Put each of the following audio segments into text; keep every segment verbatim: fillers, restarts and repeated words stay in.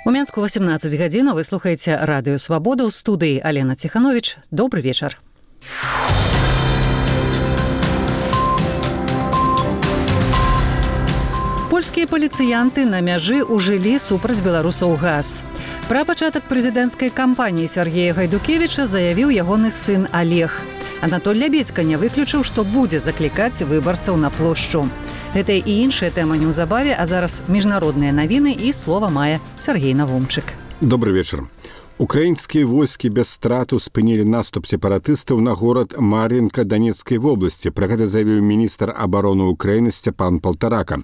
У Менску восемнадцать гадзін, вы слухаеце радыё Свабода, ў студыі Алена Ціхановіч. Добры вечар. Польскія паліцыянты на мяжы ўжылі супраць беларусаў газ. Пра пачатак прэзідэнцкай кампаніі Сергея Гайдукевіча заявіў ягоны сын Олег. Анатоль Лябедзька не выключыў, што будзе заклікаць выбарцаў на плошчу. Гэта і іншая тэма неўзабаве, а зараз міжнародныя навіны і слова мае Сергей Навумчык. Добрый вечар. Украінскія войскі без страту спынілі наступ сепаратыстаў на горад Мар'інка Донецкай вобласці. Пра гэта заявіў міністр абароны Украіны Сцяпан Палтарака.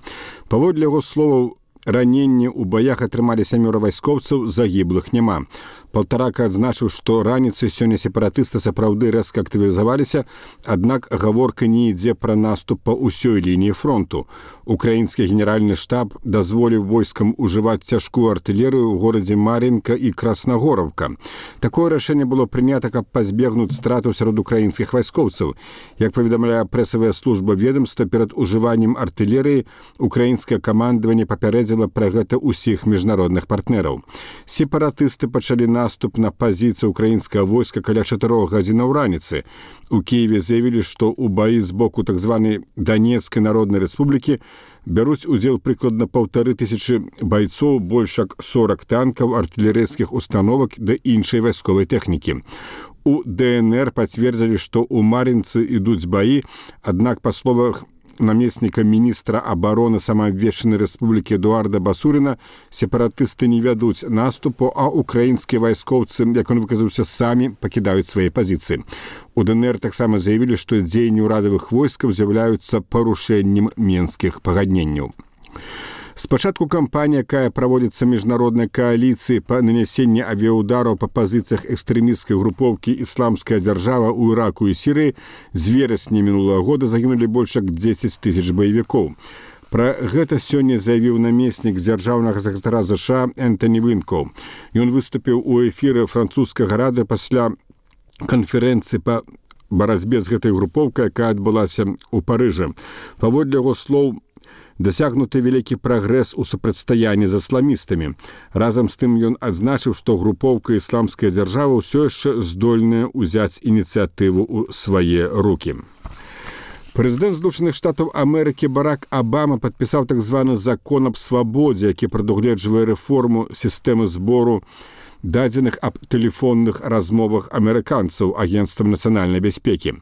Паводле яго словаў, раненні ў баях атрымалі сямёра вайскоўцаў, загіблых няма. Палтарака адзначыў, што раніцай сёння сепаратысты сапраўды рэзка актывізаваліся, аднак гаворка не ідзе пра наступ па ўсёй лініі фронту. Украінскі генеральны штаб дазволіў войскам ужываць цяжкую артылерыю ў горадзе Мар'інка і Краснагораўка. Такое рашэнне было прынята, каб пазбегнуць стратаў сярод украінскіх вайскоўцаў. Як паведамляе прэсавая служба ведомства, перад ужываннем артылерыі украінскае камандаванне папярэдзіла пра гэта ўсіх міжнародных партнераў. Сепаратысты пачалі на наступ на пазіцыі украінскага войска каля чатырох гадзінаў раніцы. У Кіеве заявілі, што ў баі з боку так званай Донецкай народнай рэспублікі бяруць удзел прыкладна паўтары тысячы байцоў, больш як сорок танкаў, артылерыйскіх установак да іншай вайсковай тэхнікі. У ДНР пацвердзілі, што ў Мар'інцы ідуць баі, аднак па словах намесніка міністра абароны самаабвешчанай рэспублікі Эдуарда Басуріна, сепаратысты не вядуць наступу, а украінскія вайскоўцы, як он выказаўся, самі пакідаюць свае пазіцыі. У ДНР таксама заявілі, што дзеянні ўрадавых войскаў з'яўляюцца парушэннем менскіх пагадненняў. Спачатку кампанія, якая праводзіцца міжнароднай кааліцыі па нанясенні авіяудараў па пазіцыях экстрэмісцкай групоўкі «Ісламская дзяржава» ў Іраку і Сірыі, з верасня мінулага года загінулі больш як дзесяць тысяч баевікоў. Пра гэта сёння заявіў намеснік дзяржаўнага сакратара ЗША Энтані Блінкоў. Ён выступіў у эфіры французскага радыё пасля канферэнцыі па барацьбе з гэтай групоўкай, якая адбылася ў Парыжы. Паводле яго слоў, дасягнуты вялікі прагрэс у супрацьстаянні з ісламістамі. Разам з тым ён адзначыў, што групоўка «Ісламская дзяржава» ўсё яшчэ здольная ўзяць ініцыятыву ў свае рукі. Прэзідэнт Злучаных Штатаў Амерыкі Барак Абама падпісаў так званы закон аб свабодзе, які прадугледжвае рэформу сістэмы збору дадзеных аб тэлефонных размовах амерыканцаў Агенцтвам нацыянальнай бяспекі.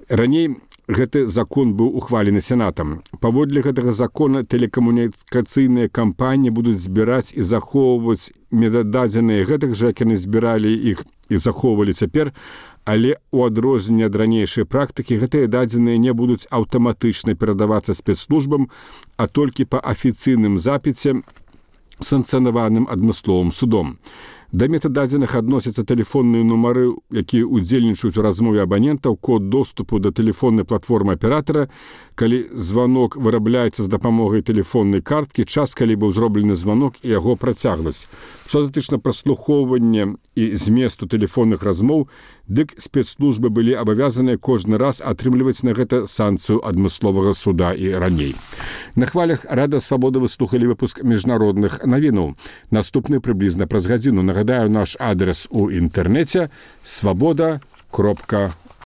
Раней гэты закон быў ухвалены сенатам. Паводле гэтага закона тэлекамунікацыйныя кампаніі будуць збіраць і захоўваць метададзеныя гэтых жа, як яны збіралі іх і захоўвалі цяпер, але ў адрозненне ад ранейшай практыкі гэтыя дадзеныя не будуць аўтаматычна перадавацца спецслужбам, а толькі па афіцыйным запіце, санкцыянаваным адмысловым судом. Да метададзеных адносяцца тэлефонныя нумары, якія удзельнічаюць у размове абанентаў, код доступу да тэлефоннай платформы аператара, калі званок вырабляецца з дапамогай тэлефоннай карткі, час, калі быў зроблены званок і яго працягласць. Што датычна праслухоўвання і зместу тэлефонных размоў, дык спецслужбы былі абавязаныя кожны раз атрымліваць на гэта санкцыю адмысловага суда і раней. На хвалях Рада Свабода вы слухалі выпуск міжнародных навінаў. Наступны прыблізна праз гадзіну. Нагадаю, наш адрес у інтэрнэце свабода кропка